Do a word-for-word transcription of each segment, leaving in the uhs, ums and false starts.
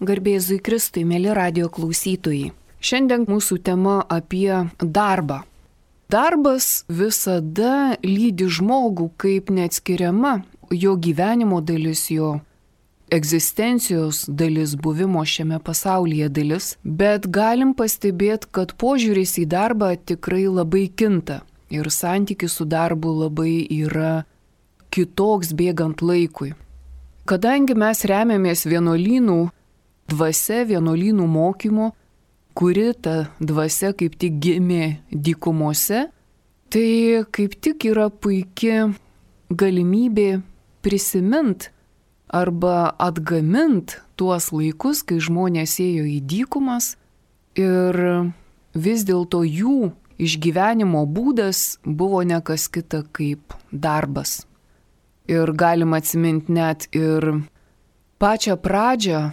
Garbė Jėzui Kristui, mėly radio klausytojai. Šiandien mūsų tema apie darbą. Darbas visada lydi žmogų kaip neatskiriama jo gyvenimo dalis, jo egzistencijos dalis, buvimo šiame pasaulyje dalis, bet galim pastebėti, kad požiūris į darbą tikrai labai kinta ir santykis su darbu labai yra kitoks bėgant laikui. Kadangi mes remiamės vienuolynų dvasia, vienuolynų mokymu, kuri ta dvasia kaip tik gimė dykumose, tai kaip tik yra puikia galimybė prisimint arba atgamint tuos laikus, kai žmonės ėjo į dykumas ir vis dėlto jų išgyvenimo būdas buvo ne kas kita kaip darbas. Ir galima atsiminti net ir pačią pradžią,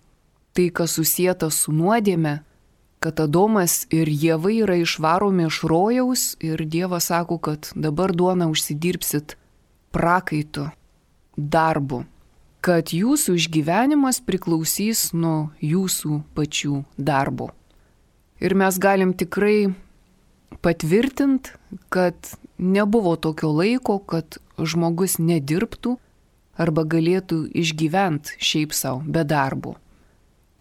tai, kas susieta su nuodėme, kad Adomas ir Ieva yra išvaromi iš rojaus ir Dievas sako, kad dabar duoną užsidirbsit prakaitu, darbu, kad jūsų išgyvenimas priklausys nuo jūsų pačių darbo. Ir mes galim tikrai patvirtinti, kad nebuvo tokio laiko, kad žmogus nedirbtų arba galėtų išgyventi šiaip savo be darbo.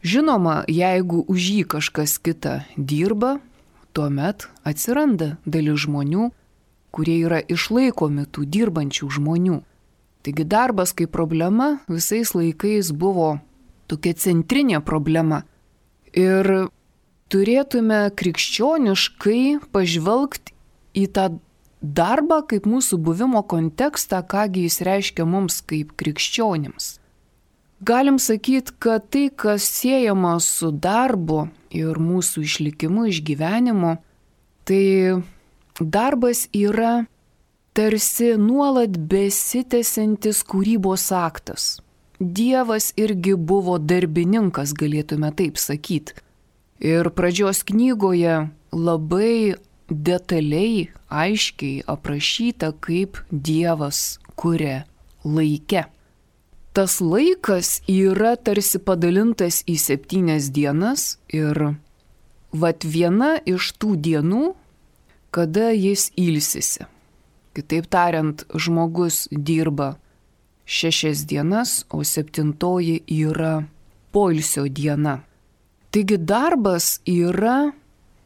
Žinoma, jeigu už jį kažkas kita dirba, tuomet atsiranda dalis žmonių, kurie yra išlaikomi tų dirbančių žmonių. Taigi darbas kaip problema visais laikais buvo tokia centrinė problema. Ir turėtume krikščioniškai pažvelgti į tą darbą kaip mūsų buvimo kontekstą, kągi jis reiškia mums kaip krikščionims. Galim sakyti, kad tai, kas siejama su darbu ir mūsų išlikimu, išgyvenimu, tai darbas yra tarsi nuolat besitęsiantis kūrybos aktas. Dievas irgi buvo darbininkas, galėtume taip sakyti. Ir pradžios knygoje labai detaliai, aiškiai aprašyta, kaip Dievas kuria laike. Tas laikas yra tarsi padalintas į septynias dienas ir vat viena iš tų dienų, kada jis ilsisi. Kitaip tariant, žmogus dirba šešias dienas, o septintoji yra poilsio diena. Taigi darbas yra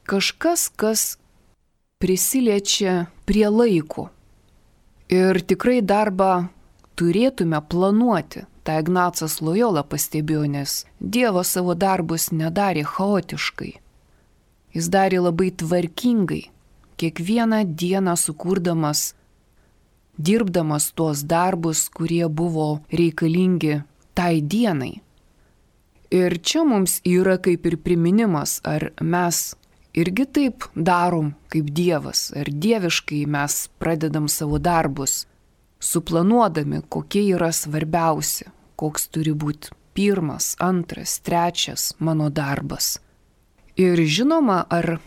kažkas, kas prisiliečia prie laiko. Ir tikrai darbą turėtume planuoti. Ta Ignacas Lojola pastebėjo, nes Dievas savo darbus nedarė chaotiškai. Jis darė labai tvarkingai, kiekvieną dieną sukurdamas, dirbdamas tuos darbus, kurie buvo reikalingi tai dienai. Ir čia mums yra kaip ir priminimas, ar mes irgi taip darom kaip Dievas, ar dieviškai mes pradedam savo darbus, suplanuodami, kokie yra svarbiausi, koks turi būti pirmas, antras, trečias mano darbas. Ir žinoma, ar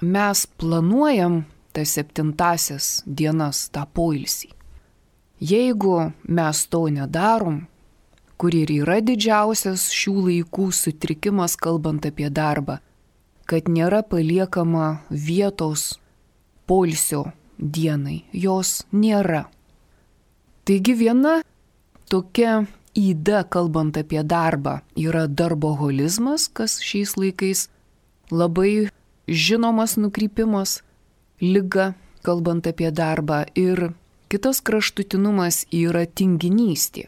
mes planuojam tas septintasias dienas, tą poilsį. Jeigu mes to nedarom, kur ir yra didžiausias šių laikų sutrikimas, kalbant apie darbą, kad nėra paliekama vietos poilsio dienai, jos nėra. Taigi viena tokia yda, kalbant apie darbą, yra darboholizmas, kas šiais laikais labai žinomas nukrypimas, liga, kalbant apie darbą, ir kitas kraštutinumas yra tinginystė.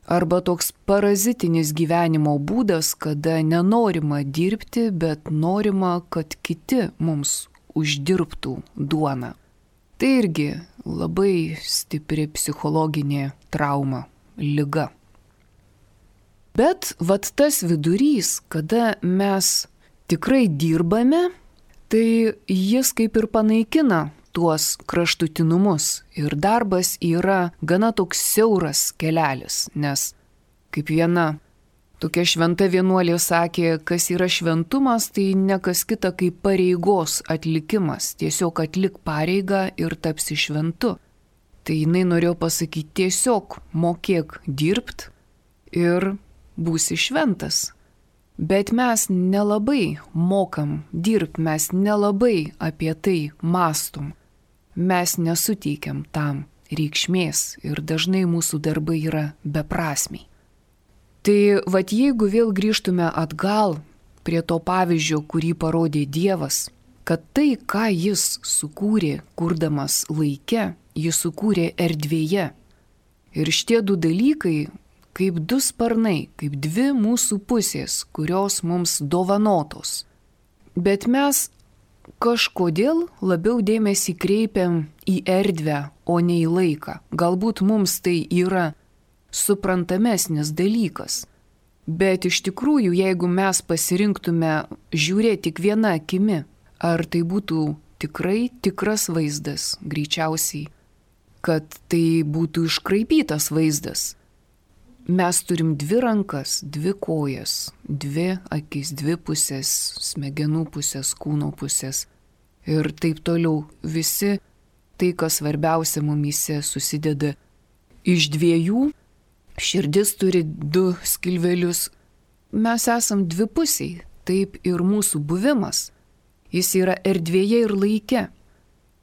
Arba toks parazitinis gyvenimo būdas, kada nenorima dirbti, bet norima, kad kiti mums uždirbtų duoną. Tai irgi labai stipri psichologinė trauma, liga. Bet vat tas vidurys, kada mes tikrai dirbame, tai jis kaip ir panaikina tuos kraštutinumus. Ir darbas yra gana toks siauras kelelis, nes kaip viena tokia šventa vienuolė sakė, kas yra šventumas, tai ne kas kita kaip pareigos atlikimas. Tiesiog atlik pareigą ir tapsi šventu. Tai jinai norėjo pasakyti, tiesiog mokėk dirbt ir būsi šventas. Bet mes nelabai mokam dirbti, mes nelabai apie tai mąstom. Mes nesuteikiam tam reikšmės ir dažnai mūsų darbai yra beprasmiai. Tai vat jeigu vėl grįžtume atgal prie to pavyzdžio, kurį parodė Dievas, kad tai, ką jis sukūrė, kurdamas laike, jis sukūrė erdvėje. Ir šitie du dalykai, kaip du sparnai, kaip dvi mūsų pusės, kurios mums dovanotos. Bet mes kažkodėl labiau dėmesį kreipiam į erdvę, o ne į laiką. Galbūt mums tai yra suprantamesnis dalykas. Bet iš tikrųjų, jeigu mes pasirinktume žiūrėti tik viena akimi, ar tai būtų tikrai tikras vaizdas, greičiausiai, kad tai būtų iškraipytas vaizdas. Mes turim dvi rankas, dvi kojas, dvi akis, dvi pusės, smegenų pusės, kūno pusės ir taip toliau. Visi tai, kas svarbiausia mumyse, susideda iš dviejų. Širdis turi du skilvelius. Mes esam dvipusiai, taip ir mūsų buvimas. Jis yra erdvėje ir laike.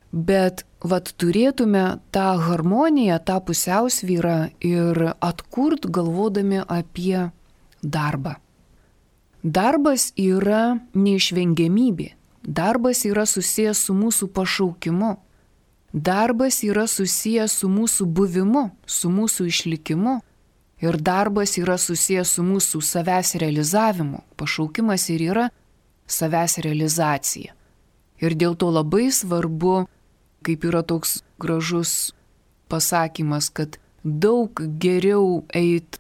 Bet vat turėtume tą harmoniją, tą pusiausvyrą ir atkurt galvodami apie darbą. Darbas yra neišvengiamybė. Darbas yra susijęs su mūsų pašaukimu. Darbas yra susijęs su mūsų buvimu, su mūsų išlikimu. Ir darbas yra susijęs su mūsų savęs realizavimu. Pašaukimas ir yra savęs realizacija. Ir dėl to labai svarbu, kaip yra toks gražus pasakymas, kad daug geriau eit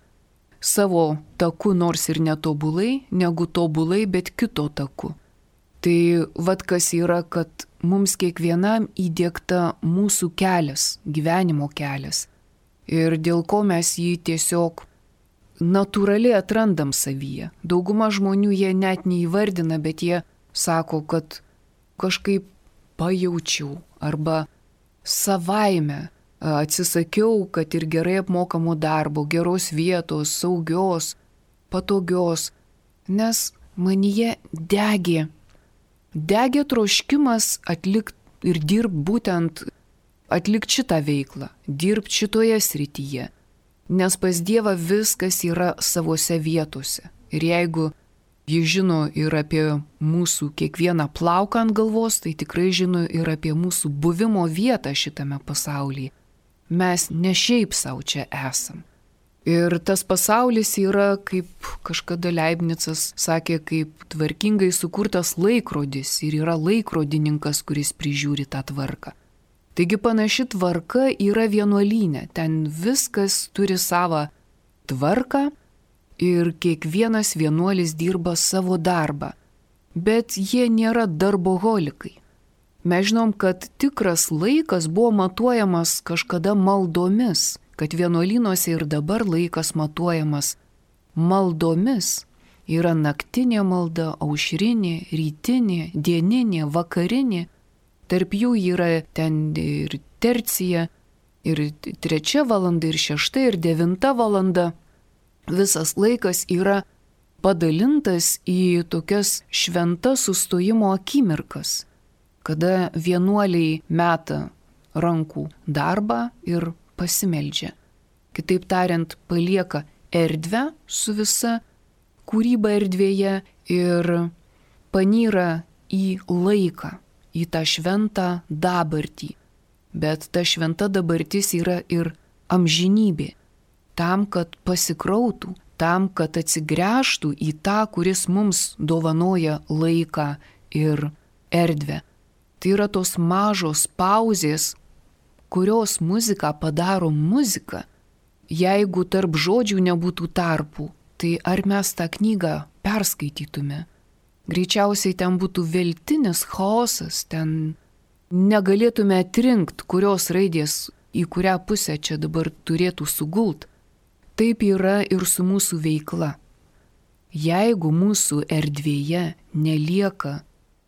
savo taku, nors ir netobulai, negu tobulai, bet kito taku. Tai vat kas yra, kad mums kiekvienam įdiegta mūsų kelias, gyvenimo kelias. Ir dėl ko mes jį tiesiog natūraliai atrandam savyje. Dauguma žmonių jie net neįvardina, bet jie sako, kad kažkaip pajaučiau arba savaime atsisakiau, kad ir gerai apmokamo darbo, geros vietos, saugios, patogios, nes manyje degė. Degė troškimas atlikti ir dirbti būtent atlikti šitą veiklą, dirbti šitoje srityje, nes pas Dievą viskas yra savose vietose. Ir jeigu jis žino ir apie mūsų kiekvieną plauką ant galvos, tai tikrai žino ir apie mūsų buvimo vietą šitame pasaulyje. Mes ne šiaip savo čia esam. Ir tas pasaulis yra, kaip kažkada Leibnicas sakė, kaip tvarkingai sukurtas laikrodis ir yra laikrodininkas, kuris prižiūri tą tvarką. Taigi panaši tvarka yra vienuolyne, ten viskas turi savo tvarką ir kiekvienas vienuolis dirba savo darbą, bet jie nėra darboholikai. Mes žinom, kad tikras laikas buvo matuojamas kažkada maldomis, kad vienuolynuose ir dabar laikas matuojamas maldomis. Yra naktinė malda, aušrinė, rytinė, dieninė, vakarinė. Tarp jų yra ten ir tercija, ir trečia valanda, ir šešta, ir devinta valanda. Visas laikas yra padalintas į tokias šventas sustojimo akimirkas, kada vienuoliai meta rankų darbą ir pasimeldžia. Kitaip tariant, palieka erdvę su visa kūryba erdvėje ir panyra į laiką, į tą šventą dabartį. Bet ta šventa dabartis yra ir amžinybė. Tam, kad pasikrautų, tam, kad atsigręžtų į tą, kuris mums dovanoja laiką ir erdvę. Tai yra tos mažos pauzės, kurios muziką padaro muzika. Jeigu tarp žodžių nebūtų tarpų, tai ar mes tą knygą perskaitytume? Greičiausiai ten būtų veltinis chaosas, ten negalėtume atrinkti, kurios raidės į kurią pusę čia dabar turėtų sugult. Taip yra ir su mūsų veikla. Jeigu mūsų erdvėje nelieka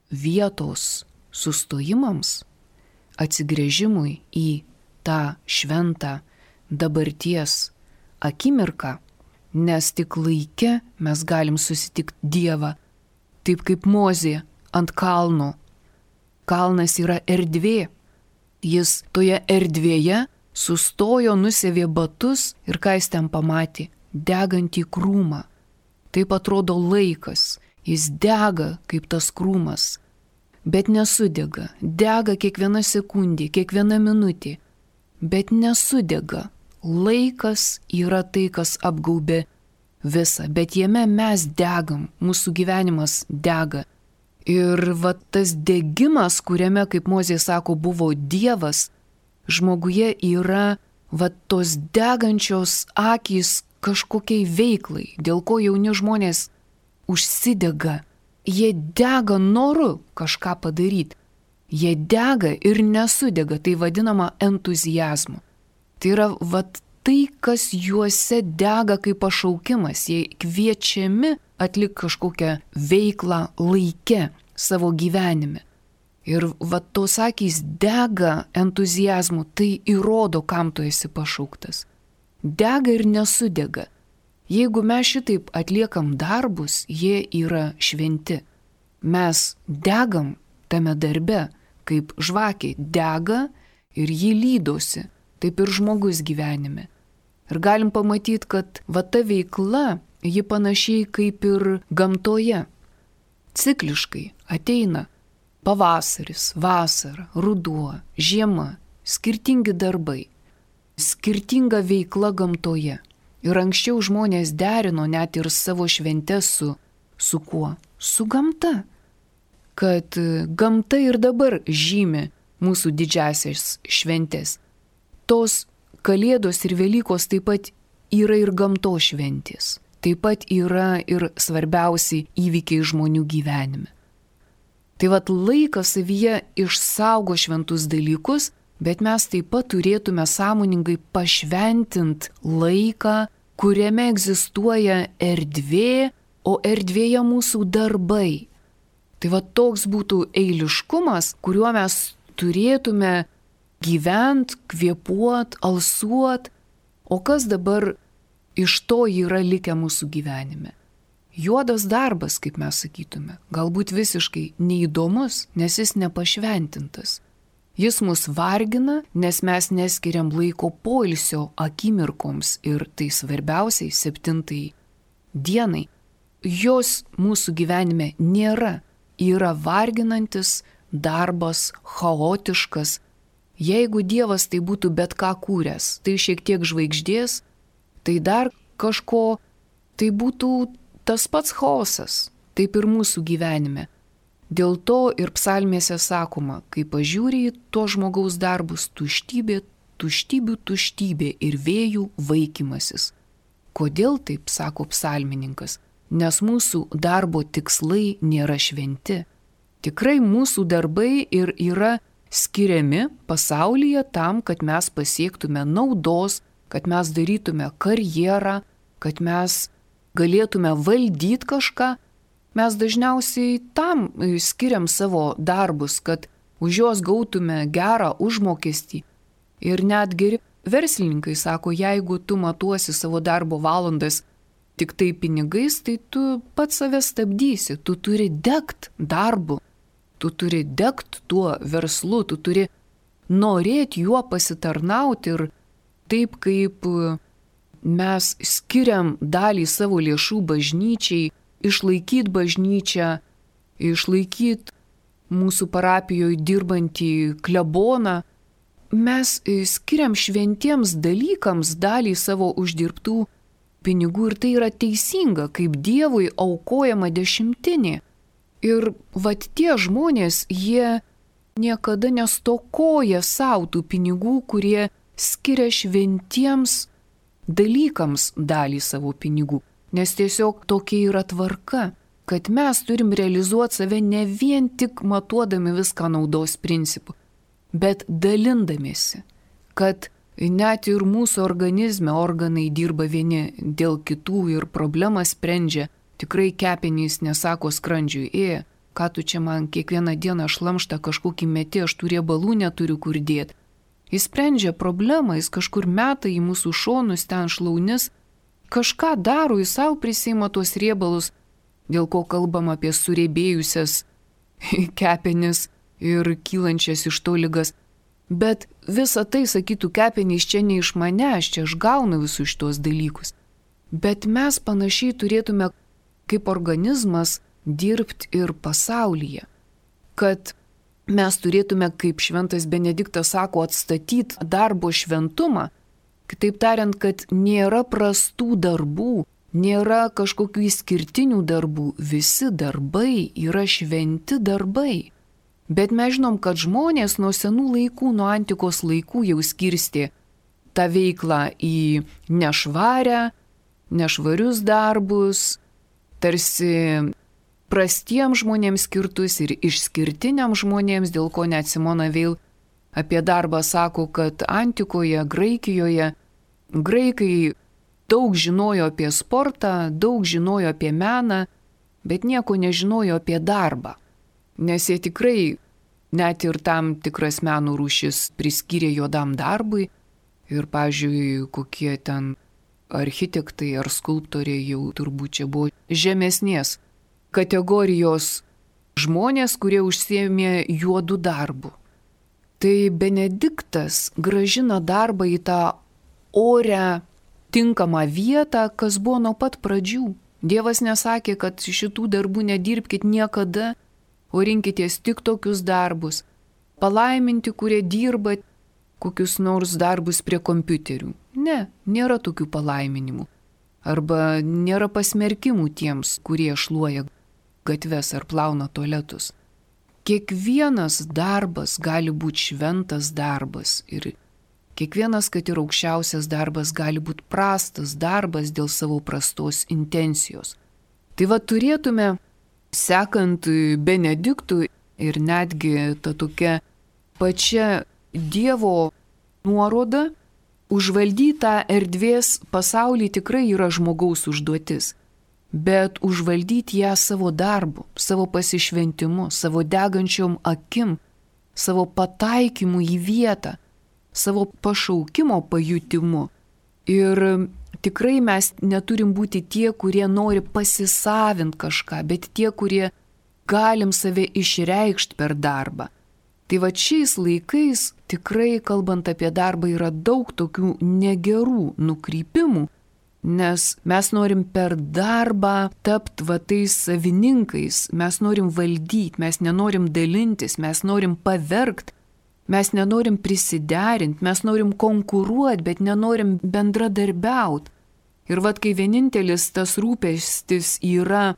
vietos sustojimams, atsigręžimui į tą šventą dabarties akimirką, nes tik laike mes galim susitikti Dievą, taip kaip Mozė ant kalno. Kalnas yra erdvė. Jis toje erdvėje sustojo, nusėvė batus ir ką jis ten pamatė? Degantį krūmą. Taip atrodo laikas. Jis dega kaip tas krūmas, bet nesudega. Dega kiekviena sekundė, kiekviena minutė, bet nesudega. Laikas yra tai, kas apgaubė visą, bet jame mes degam, mūsų gyvenimas dega. Ir va tas degimas, kuriame, kaip Mozė sako, buvo Dievas, žmoguje yra va tos degančios akys kažkokiai veiklai, dėl ko jauni žmonės užsidega. Jie dega noru kažką padaryti. Jie dega ir nesudega, tai vadinama entuziazmu. Tai yra vat tai, kas juose dega kaip pašaukimas. Jie kviečiami atlikti kažkokią veiklą laike savo gyvenime. Ir vat tos akys dega entuziazmu, tai įrodo, kam tu esi pašauktas. Dega ir nesudega. Jeigu mes šitaip atliekam darbus, jie yra šventi. Mes degam tame darbe, kaip žvakė dega ir jį lydosi, taip ir žmogus gyvenime. Ir galim pamatyti, kad va ta veikla, ji panašiai kaip ir gamtoje. Cikliškai ateina pavasaris, vasara, ruduo, žiema, skirtingi darbai, skirtinga veikla gamtoje. Ir anksčiau žmonės derino net ir savo šventes su, su kuo? Su gamta. Kad gamta ir dabar žymi mūsų didžiasias šventes. Tos Kalėdos ir Velykos taip pat yra ir gamtos šventės. Taip pat yra ir svarbiausi įvykiai žmonių gyvenime. Tai vat laikas savyje išsaugo šventus dalykus, bet mes taip pat turėtume sąmoningai pašventinti laiką, kuriame egzistuoja erdvė, o erdvėje mūsų darbai. Tai va toks būtų eiliškumas, kuriuo mes turėtume gyvent, kvėpuot, alsuot, o kas dabar iš to yra likę mūsų gyvenime? Juodas darbas, kaip mes sakytume, galbūt visiškai neįdomus, nes jis nepašventintas. Jis mus vargina, nes mes neskiriam laiko poilsio akimirkoms ir tai svarbiausiai septintai dienai. Jos mūsų gyvenime nėra, yra varginantis darbas, chaotiškas. Jeigu Dievas tai būtų bet ką kūręs, tai šiek tiek žvaigždės, tai dar kažko, tai būtų tas pats chaosas, taip ir mūsų gyvenime. Dėl to ir psalmėse sakoma, kai pažiūri į to žmogaus darbus, tuštybė, tuštybių tuštybė ir vėjų vaikymasis. Kodėl taip sako psalmininkas? Nes mūsų darbo tikslai nėra šventi. Tikrai mūsų darbai ir yra skiriami pasaulyje tam, kad mes pasiektume naudos, kad mes darytume karjerą, kad mes galėtume valdyti kažką. Mes dažniausiai tam skiriam savo darbus, kad už juos gautume gerą užmokestį. Ir net geri verslininkai sako, jeigu tu matuosi savo darbo valandas tik tai pinigais, tai tu pats save stabdysi, tu turi degt darbu, tu turi degt tuo verslu, tu turi norėti juo pasitarnauti ir taip kaip mes skiriam dalį savo lėšų bažnyčiai, išlaikyti bažnyčią, išlaikyti mūsų parapijoje dirbantį kleboną, mes skiriam šventiems dalykams dalį savo uždirbtų pinigų ir tai yra teisinga, kaip Dievui aukojama dešimtinė. Ir vat tie žmonės, jie niekada nestokoja savo tų pinigų, kurie skiria šventiems dalykams dalį savo pinigų. Nes tiesiog tokia yra tvarka, kad mes turim realizuoti save ne vien tik matuodami viską naudos principu, bet dalindamiesi, kad net ir mūsų organizme organai dirba vieni dėl kitų ir problemą sprendžia. Tikrai kepenys nesako skrandžiui, e, ką tu čia man kiekvieną dieną šlamštą kažkokį metį, aš tų riebalų neturiu kur dėti. Jis sprendžia problemą, jis kažkur meta į mūsų šonus, ten šlaunis, kažką daro, jis savo prisima tuos riebalus, dėl ko kalbam apie surėbėjusias kepenis ir kylančias iš to ligas. Bet visa tai, sakytų, kepenys čia ne iš manęs, čia aš gaunu visus šitos dalykus. Bet mes panašiai turėtume kaip organizmas dirbti ir pasaulyje. Kad mes turėtume, kaip šventas Benediktas sako, atstatyti darbo šventumą. Kitaip tariant, kad nėra prastų darbų, nėra kažkokių išskirtinių darbų. Visi darbai yra šventi darbai. Bet mes žinom, kad žmonės nuo senų laikų, nuo antikos laikų jau skirstė tą veiklą į nešvarę, nešvarius darbus, tarsi prastiems žmonėms skirtus ir išskirtiniams žmonėms, dėl ko net Simona Veil apie darbą sako, kad antikoje, Graikijoje, graikai daug žinojo apie sportą, daug žinojo apie meną, bet nieko nežinojo apie darbą. Nes jie tikrai net ir tam tikras meno rūšis priskyrė juodam darbui. Ir, pavyzdžiui, kokie ten architektai ar skulptoriai jau turbūt čia buvo žemesnės kategorijos žmonės, kurie užsiėmė juodų darbų. Tai Benediktas grąžina darbą į tą orę tinkamą vietą, kas buvo nuo pat pradžių. Dievas nesakė, kad šitų darbų nedirbkit niekada, o rinkitės tik tokius darbus. Palaiminti, kurie dirba kokius nors darbus prie kompiuterių. Ne, nėra tokių palaiminimų. Arba nėra pasmerkimų tiems, kurie šluoja gatves ar plauna tualetus. Kiekvienas darbas gali būti šventas darbas ir kiekvienas, kad ir aukščiausias darbas, gali būti prastas darbas dėl savo prastos intencijos. Tai va turėtume, sekant Benediktų ir netgi ta tokia pačia Dievo nuoroda, užvaldytą erdvės pasaulį tikrai yra žmogaus užduotis, bet užvaldyti ją savo darbu, savo pasišventimu, savo degančiom akim, savo pataikymu į vietą, savo pašaukimo pajutimu. Ir tikrai mes neturim būti tie, kurie nori pasisavinti kažką, bet tie, kurie galim save išreikšti per darbą. Tai va šiais laikais tikrai, kalbant apie darbą, yra daug tokių negerų nukrypimų, nes mes norim per darbą tapti va tais savininkais, mes norim valdyti, mes nenorim dalintis, mes norim pavergti, mes nenorim prisiderinti, mes norim konkuruoti, bet nenorim bendradarbiauti. Ir vat kai vienintelis tas rūpestis yra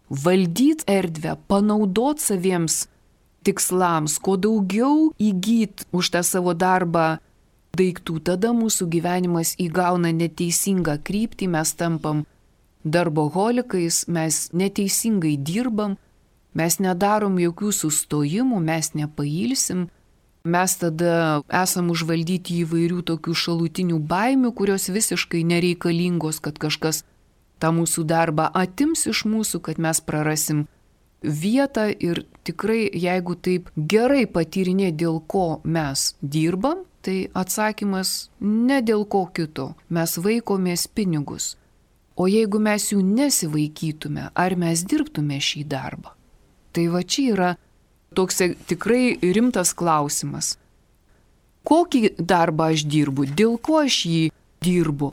valdyti erdvę, panaudoti saviems tikslams, kuo daugiau įgyti už tą savo darbą daiktų, tada mūsų gyvenimas įgauna neteisingą kryptį, mes tampam darboholikais, mes neteisingai dirbam, mes nedarom jokių sustojimų, mes nepailsim, mes tada esam užvaldyti įvairių tokių šalutinių baimių, kurios visiškai nereikalingos, kad kažkas tą mūsų darbą atims iš mūsų, kad mes prarasim vietą. Ir tikrai, jeigu taip gerai patyrinė, dėl ko mes dirbam, tai atsakymas ne dėl ko kito. Mes vaikomės pinigus. O jeigu mes jų nesivaikytume, ar mes dirbtume šį darbą? Tai va čia yra toks tikrai rimtas klausimas. Kokį darbą aš dirbu? Dėl ko aš jį dirbu?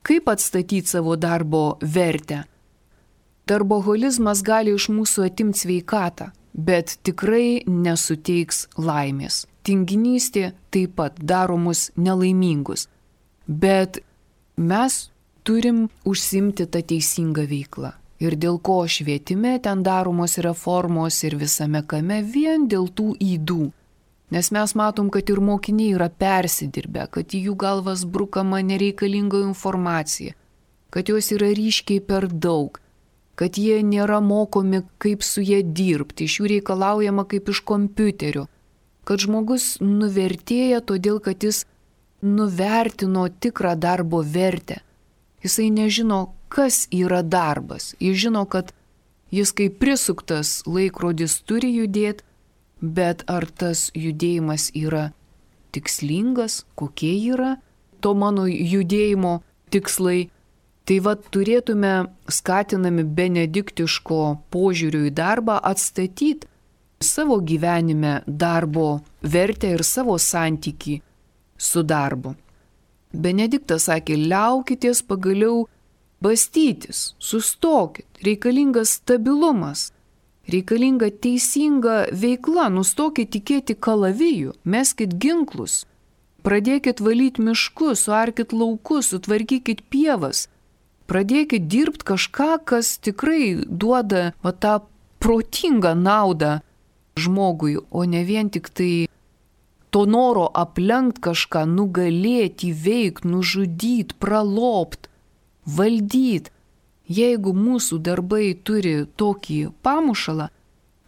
Kaip atstatyti savo darbo vertę? Darboholizmas gali iš mūsų atimti sveikatą, bet tikrai nesuteiks laimės. Tinginystė taip pat daro mus nelaimingus. Bet mes turim užsimti tą teisingą veiklą. Ir dėl ko švietime ten daromos reformos ir visame kame, vien dėl tų ydų. Nes mes matom, kad ir mokiniai yra persidirbę, kad į jų galvas brukama nereikalinga informacija, kad jos yra ryškiai per daug, kad jie nėra mokomi, kaip su jie dirbti, iš jų reikalaujama kaip iš kompiuterio, kad žmogus nuvertėja todėl, kad jis nuvertino tikrą darbo vertę. Jisai nežino, kas yra darbas. Jis žino, kad jis kaip prisuktas laikrodis turi judėti, bet ar tas judėjimas yra tikslingas, kokie yra to mano judėjimo tikslai. Tai vad turėtume skatinami benediktiško požiūrių į darbą atstatyti savo gyvenime darbo vertę ir savo santykį su darbu. Benediktas sakė, liaukitės pagaliau bastytis, sustokit, reikalingas stabilumas, reikalinga teisinga veikla, nustokit tikėti kalaviju, meskit ginklus, pradėkit valyti miškus, suarkit laukus, sutvarkykit pievas, pradėkit dirbti kažką, kas tikrai duoda va, tą protingą naudą žmogui, o ne vien tik tai to noro aplenkti kažką, nugalėti, įveikti, nužudyti, pralopti, valdyti. Jeigu mūsų darbai turi tokį pamušalą,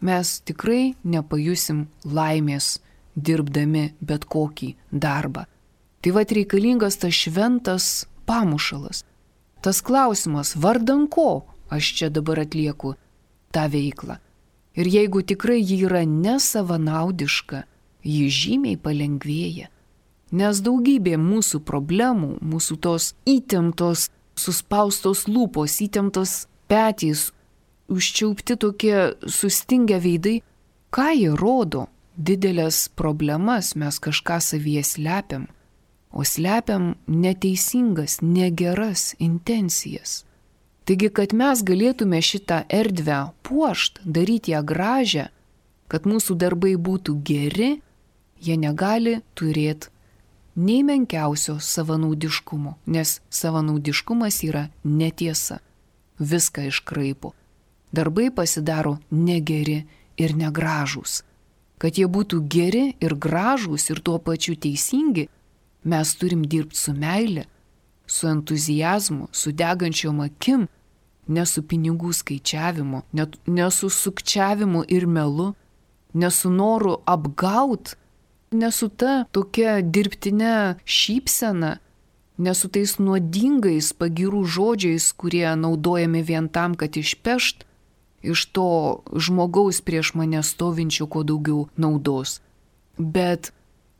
mes tikrai nepajusim laimės dirbdami bet kokį darbą. Tai vad reikalingas tas šventas pamušalas. Tas klausimas, vardan ko aš čia dabar atlieku tą veiklą. Ir jeigu tikrai ji yra nesavanaudiška, ji žymiai palengvėja. Nes daugybė mūsų problemų, mūsų tos įtemptos, suspaustos lūpos, įtemptos petys, užčiaupti tokie sustingę veidai, ką jie rodo? Didelės problemas mes kažką savyje slepiam, o slepiam neteisingas, negeras intencijas. Taigi, kad mes galėtume šitą erdvę puošt, daryti ją gražią, kad mūsų darbai būtų geri, jie negali turėti nei menkiausio savanaudiškumo, nes savanaudiškumas yra netiesa, viską iškraipo. Darbai pasidaro negeri ir negražūs. Kad jie būtų geri ir gražūs ir tuo pačiu teisingi, mes turim dirbti su meile, su entuzijazmu, su degančiom akim, ne su pinigų skaičiavimu, ne, ne su sukčiavimu ir melu, ne su noru apgaut, ne su ta tokia dirbtinė šypsena, ne su tais nuodingais pagyrų žodžiais, kurie naudojami vien tam, kad išpešt iš to žmogaus prieš mane stovinčio kuo daugiau naudos. Bet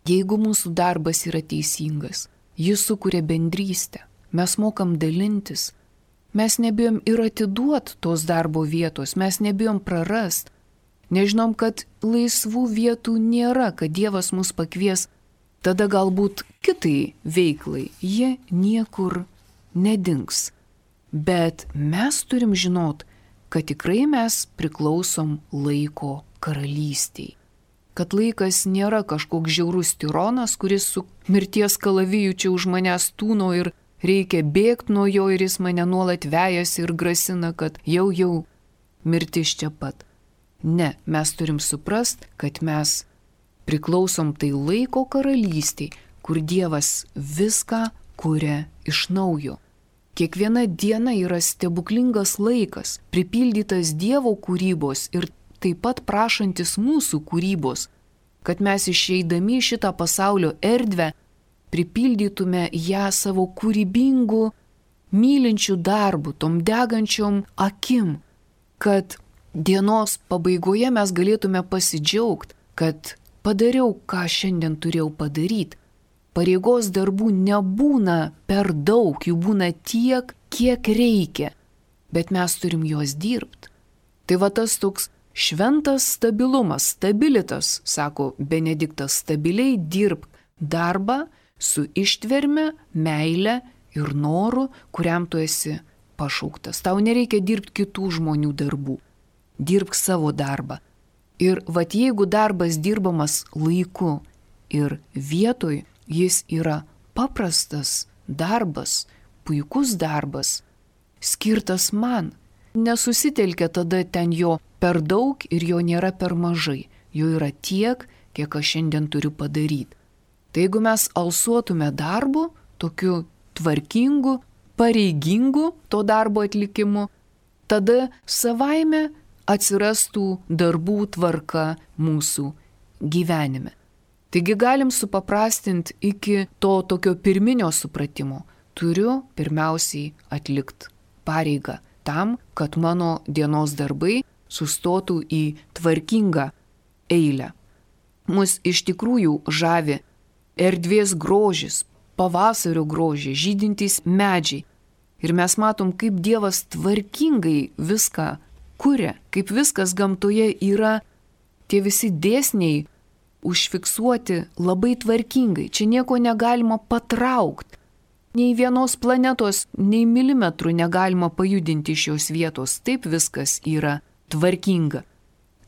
jeigu mūsų darbas yra teisingas, jis sukuria bendrystę, mes mokam dalintis, mes nebijom ir atiduot tos darbo vietos, mes nebijom prarast, nežinom, kad laisvų vietų nėra, kad Dievas mus pakvies, tada galbūt kitai veiklai, jie niekur nedings. Bet mes turim žinot, kad tikrai mes priklausom laiko karalystiai. Kad laikas nėra kažkoks žiaurus tironas, kuris su mirties kalaviju čia už manęs tūno ir reikia bėgti nuo jo ir jis mane nuolat vejasi ir grasina, kad jau jau mirtis čia pat. Ne, mes turim suprast, kad mes priklausom tai laiko karalystiai, kur Dievas viską kuria iš naujo. Kiekviena diena yra stebuklingas laikas, pripildytas Dievo kūrybos ir taip pat prašantis mūsų kūrybos, kad mes išeidami šitą pasaulio erdvę pripildytume ją savo kūrybingų, mylinčių darbų, tom degančiom akim, kad dienos pabaigoje mes galėtume pasidžiaugti, kad padariau, ką šiandien turėjau padaryti. Pareigos darbų nebūna per daug, jų būna tiek, kiek reikia, bet mes turim juos dirbti. Tai va tas toks šventas stabilumas, stabilitas, sako Benediktas, stabiliai dirbk darbą su ištverme, meile ir noru, kuriam tu esi pašauktas. Tau nereikia dirbti kitų žmonių darbų. Dirbk savo darbą. Ir vat jeigu darbas dirbamas laiku ir vietoj, jis yra paprastas darbas, puikus darbas, skirtas man. Nesusitelkia tada ten jo per daug ir jo nėra per mažai. Jo yra tiek, kiek aš šiandien turiu padaryti. Tai jeigu mes alsuotume darbu, tokiu tvarkingu, pareigingu to darbo atlikimu, tada savaime atsirastų darbų tvarka mūsų gyvenime. Taigi galim supaprastinti iki to tokio pirminio supratimo. Turiu pirmiausiai atlikti pareigą tam, kad mano dienos darbai sustotų į tvarkingą eilę. Mus iš tikrųjų žavi erdvės grožis, pavasario grožis, žydintys medžiai. Ir mes matom, kaip Dievas tvarkingai viską kuria, kaip viskas gamtoje yra, tie visi dėsniai užfiksuoti labai tvarkingai. Čia nieko negalima patraukti. Nei vienos planetos, nei milimetrų negalima pajudinti iš šios vietos. Taip viskas yra tvarkinga.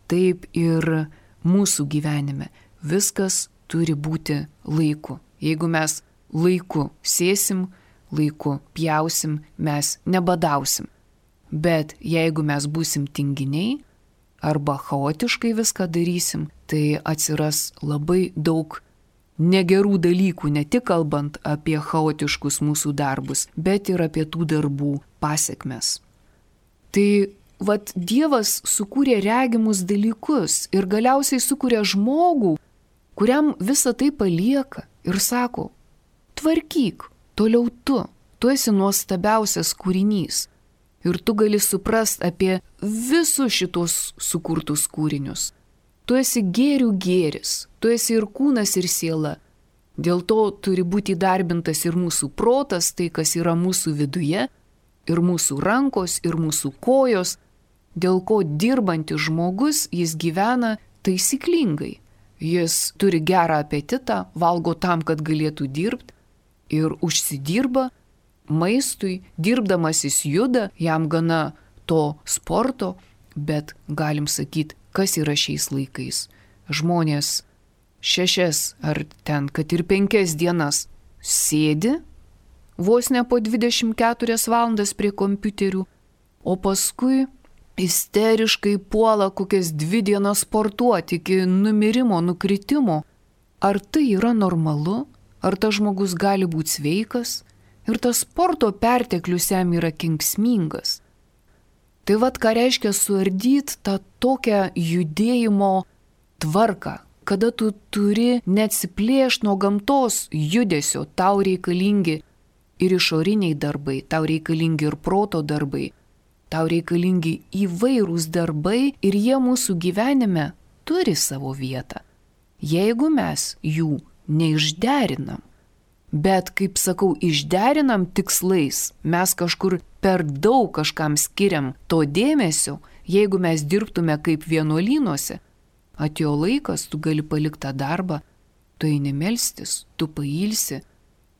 Taip ir mūsų gyvenime. Viskas turi būti laiku. Jeigu mes laiku sėsim, laiku pjausim, mes nebadausim. Bet jeigu mes būsim tinginiai arba chaotiškai viską darysim, tai atsiras labai daug negerų dalykų, ne tik kalbant apie chaotiškus mūsų darbus, bet ir apie tų darbų pasekmes. Tai vat Dievas sukūrė regimus dalykus ir galiausiai sukūrė žmogų, kuriam visą tai palieka ir sako, tvarkyk, toliau tu, tu esi nuostabiausias kūrinys ir tu gali suprast apie visus šitos sukurtus kūrinius. Tu esi gėrių gėris, tu esi ir kūnas, ir siela. Dėl to turi būti įdarbintas ir mūsų protas, tai kas yra mūsų viduje, ir mūsų rankos, ir mūsų kojos, dėl ko dirbantis žmogus, jis gyvena taisyklingai. Jis turi gerą apetitą, valgo tam, kad galėtų dirbti ir užsidirba maistui, dirbdamas jis juda, jam gana to sporto, bet galim sakyti, kas yra šiais laikais. Žmonės šešias ar ten, kad ir penkias dienas sėdi, vos ne po dvidešimt keturias valandas prie kompiuterių, o paskui isteriškai puola kokias dvi dienas sportuoti iki numirimo, nukritimo. Ar tai yra normalu? Ar tas žmogus gali būti sveikas? Ir tas sporto perteklius jam yra kenksmingas. Tai vat ką reiškia suardyti tą tokią judėjimo tvarką, kada tu turi neatsiplėšti nuo gamtos judesio, tau reikalingi ir išoriniai darbai, tau reikalingi ir proto darbai, tau reikalingi įvairūs darbai ir jie mūsų gyvenime turi savo vietą. Jeigu mes jų neišderinam, bet, kaip sakau, išderinam tikslais, mes kažkur per daug kažkam skiriam to dėmesio, jeigu mes dirbtume kaip vienuolynuose, atėjo laikas, tu gali palikti tą darbą, tu eini melstis, tu pailsi,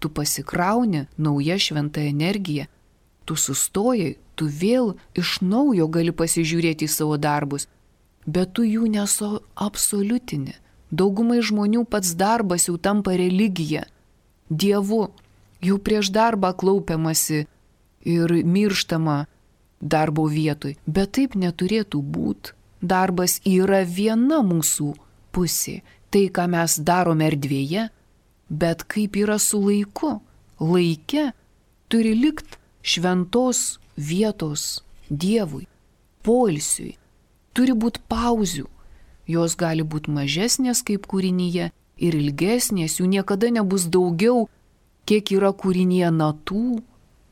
tu pasikrauni nauja šventa energija, tu sustojai, tu vėl iš naujo gali pasižiūrėti į savo darbus, bet tu jų nesuabsoliutini. Daugumai žmonių pats darbas jau tampa religija. Dievu, jau prieš darbą klaupiamasi ir mirštama darbo vietoj, bet taip neturėtų būti. Darbas yra viena mūsų pusė, tai ką mes darome erdvėje, bet kaip yra su laiku. Laike turi likti šventos vietos Dievui, poilsiui, turi būti pauzių. Jos gali būti mažesnės kaip kūrinyje ir ilgesnės, jų niekada nebus daugiau, kiek yra kūrinyje natų,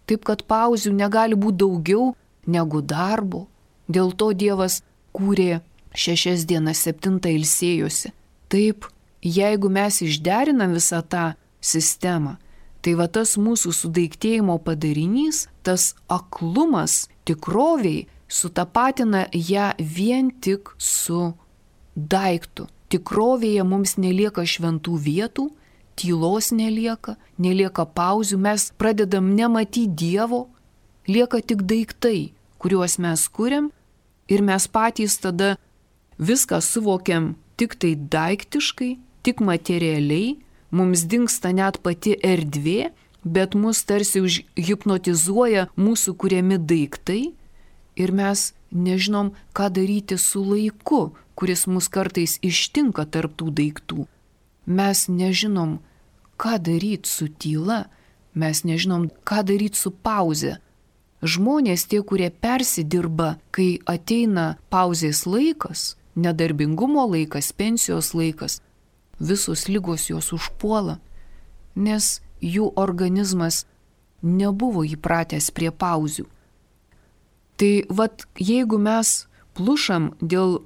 taip kad pauzių negali būti daugiau negu darbo. Dėl to Dievas kūrė šešias dienas, septintą ilsėjosi. Taip, jeigu mes išderinam visą tą sistemą, tai va tas mūsų sudaiktėjimo padarinys, tas aklumas tikroviai sutapatina ją vien tik su daiktų. Tikrovėje mums nelieka šventų vietų, tylos nelieka, nelieka pauzių, mes pradedam nematyti Dievo, lieka tik daiktai, kuriuos mes kuriam ir mes patys tada viską suvokiam tik tai daiktiškai, tik materialiai, mums dingsta net pati erdvė, bet mus tarsi užhipnotizuoja mūsų kuriami daiktai ir mes nežinom, ką daryti su laiku, kuris mus kartais ištinka tarp tų daiktų. Mes nežinom, ką daryti su tyla, mes nežinom, ką daryti su pauze. Žmonės tie, kurie persidirba, kai ateina pauzės laikas, nedarbingumo laikas, pensijos laikas, visos ligos jos užpuola, nes jų organizmas nebuvo įpratęs prie pauzių. Tai vat, jeigu mes plušam dėl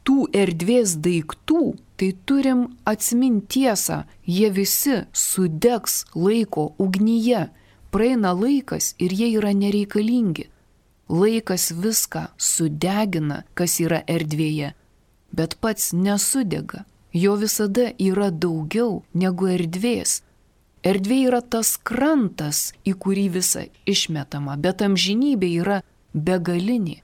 tų erdvės daiktų, tai turim atsiminti tiesą, jie visi sudegs laiko ugnyje, praeina laikas ir jie yra nereikalingi. Laikas viską sudegina, kas yra erdvėje, bet pats nesudega. Jo visada yra daugiau negu erdvės. Erdvė yra tas krantas, į kurį visa išmetama, bet amžinybė yra begalinė.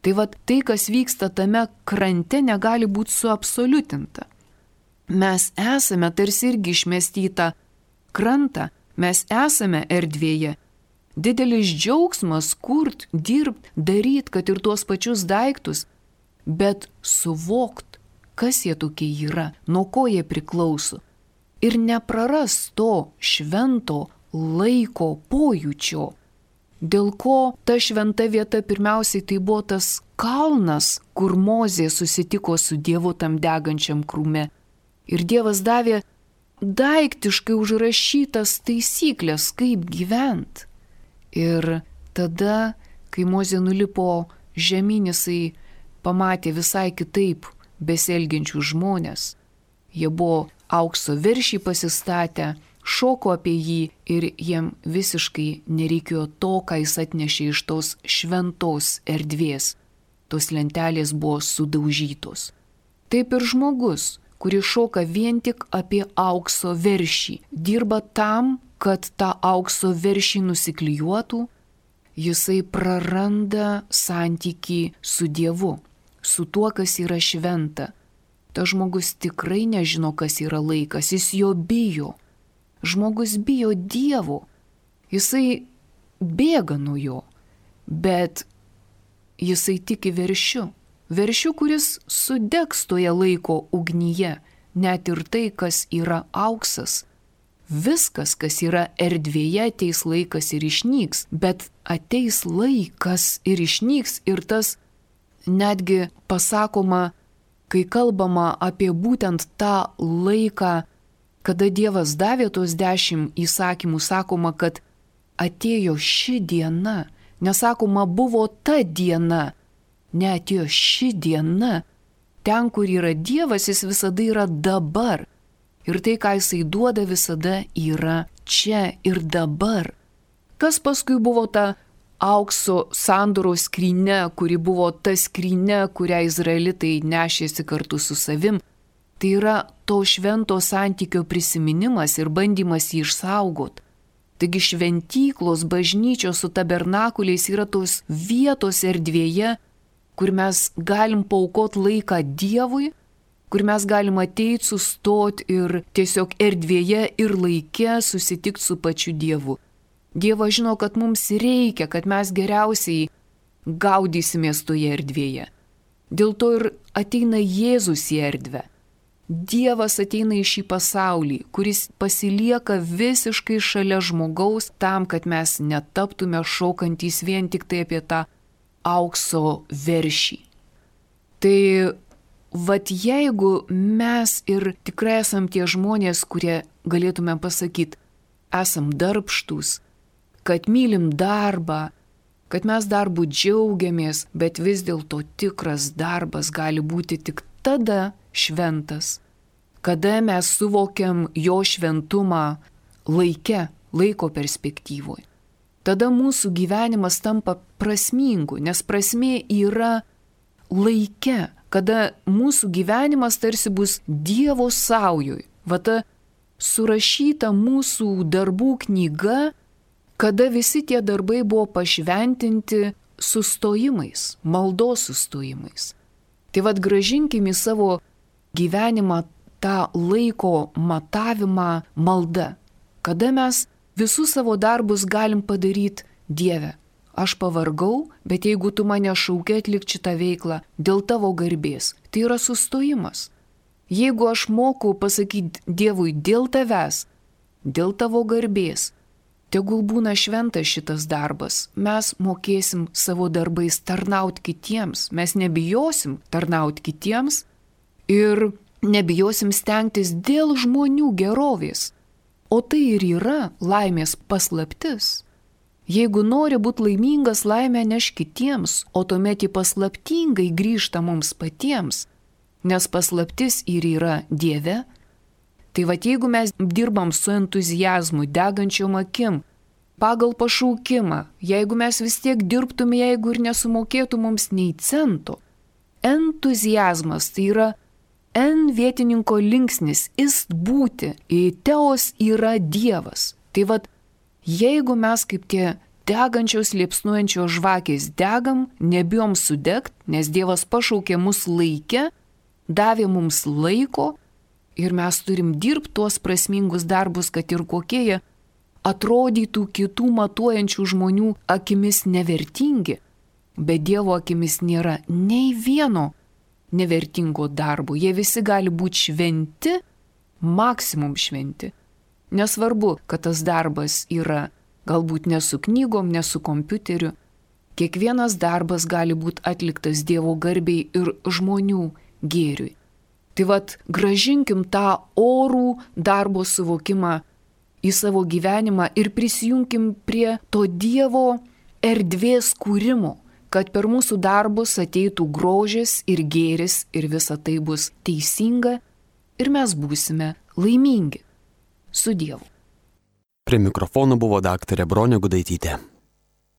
Tai vat tai, kas vyksta tame krante, negali būti suabsoliutinta. Mes esame tarsi irgi išmesti į tą krantą, mes esame erdvėje. Didelis džiaugsmas kurt, dirbt, daryt, kad ir tuos pačius daiktus, bet suvokt, kas jie tokie yra, nuo ko jie priklauso. Ir nepraras to švento laiko pojūčio, dėl ko ta šventa vieta pirmiausiai tai buvo tas kalnas, kur Mozė susitiko su Dievu tam degančiam krūme. Ir Dievas davė daiktiškai užrašytas taisyklės, kaip gyvent. Ir tada, kai Mozė nulipo žemyn, jisai pamatė visai kitaip besielgiančių žmonės. Jie buvo aukso veršį pasistatę, šoko apie jį ir jiem visiškai nereikėjo to, ką jis atnešė iš tos šventos erdvės. Tos lentelės buvo sudaužytos. Taip ir žmogus, kuris šoka vien tik apie aukso veršį, dirba tam, kad tą aukso veršį nusiklijuotų, jisai praranda santykį su Dievu, su tuo, kas yra šventa. Ta žmogus tikrai nežino, kas yra laikas, jis jo bijo. Žmogus bijo Dievo, jisai bėga nuo jo, bet jisai tiki veršiu. Veršiu, kuris sudegs toje laiko ugnyje, net ir tai, kas yra auksas. Viskas, kas yra erdvėje, ateis laikas ir išnyks, bet ateis laikas ir išnyks ir tas netgi pasakoma, kai kalbama apie būtent tą laiką, kada Dievas davė tos dešimt įsakymų, sakoma, kad atėjo ši diena, nesakoma buvo ta diena, neatėjo ši diena. Ten, kur yra Dievas, jis visada yra dabar. Ir tai, ką jisai duoda, visada yra čia ir dabar. Kas paskui buvo ta aukso sandoros skrynia, kuri buvo ta skrynia, kurią izraelitai nešėsi kartu su savim. Tai yra to švento santykio prisiminimas ir bandymas jį išsaugot. Taigi šventyklos, bažnyčios su tabernakuliais yra tos vietos erdvėje, kur mes galim paaukot laiką Dievui, kur mes galim ateiti, sustot ir tiesiog erdvėje ir laike susitikti su pačiu Dievu. Dievas žino, kad mums reikia, kad mes geriausiai gaudysimės toje erdvėje. Dėl to ir ateina Jėzus į erdvę. Dievas ateina į šį pasaulį, kuris pasilieka visiškai šalia žmogaus tam, kad mes netaptume šokantys vien tik tai apie tą aukso veršį. Tai vat jeigu mes ir tikrai esam tie žmonės, kurie galėtume pasakyti, esam darbštūs, kad mylim darbą, kad mes darbu džiaugiamės, bet vis dėlto tikras darbas gali būti tik tada šventas, kada mes suvokiam jo šventumą laike, laiko perspektyvoje. Tada mūsų gyvenimas tampa prasmingu, nes prasmė yra laike, kada mūsų gyvenimas tarsi bus Dievo saujoj. Va ta surašyta mūsų darbų knyga, kada visi tie darbai buvo pašventinti sustojimais, maldos sustojimais. Tai vad grąžinkim į savo gyvenimą tą laiko matavimą malda, kada mes visus savo darbus galim padaryti Dieve. Aš pavargau, bet jeigu tu mane šauki atlikti šitą veiklą dėl tavo garbės, tai yra sustojimas. Jeigu aš moku pasakyti Dievui dėl tavęs, dėl tavo garbės, tegul būna šventas šitas darbas, mes mokėsim savo darbais tarnauti kitiems, mes nebijosim tarnauti kitiems ir nebijosim stengtis dėl žmonių gerovės. O tai ir yra laimės paslaptis. Jeigu nori būti laimingas, laimę neš kitiems, o tuomet ji paslaptingai grįžta mums patiems, nes paslaptis ir yra Dieve. Tai va, jeigu mes dirbam su entuziazmu, degančiom akim, pagal pašaukimą, jeigu mes vis tiek dirbtume, jeigu ir nesumokėtų mums nei cento. Entuziazmas tai yra en vietininko linksnis, ist būti, teos yra Dievas. Tai vad, jeigu mes kaip tie degančios liepsnuojančios žvakės degam, nebijom sudegt, nes Dievas pašaukė mus laikę, davė mums laiko ir mes turim dirbti tuos prasmingus darbus, kad ir kokie jie atrodytų kitų matuojančių žmonių akimis nevertingi, bet Dievo akimis nėra nei vieno nevertingo darbo. Jie visi gali būti šventi, maksimum šventi. Nesvarbu, kad tas darbas yra galbūt ne su knygom, ne su kompiuteriu. Kiekvienas darbas gali būti atliktas Dievo garbei ir žmonių gėriui. Tai vad, grąžinkim tą orų darbo suvokimą į savo gyvenimą ir prisijunkim prie to Dievo erdvės kūrimo, kad per mūsų darbus ateitų grožis ir gėris ir visa tai bus teisinga ir mes būsime laimingi. Su Dievu. Prie mikrofono buvo daktarė Bronė Gudaitytė.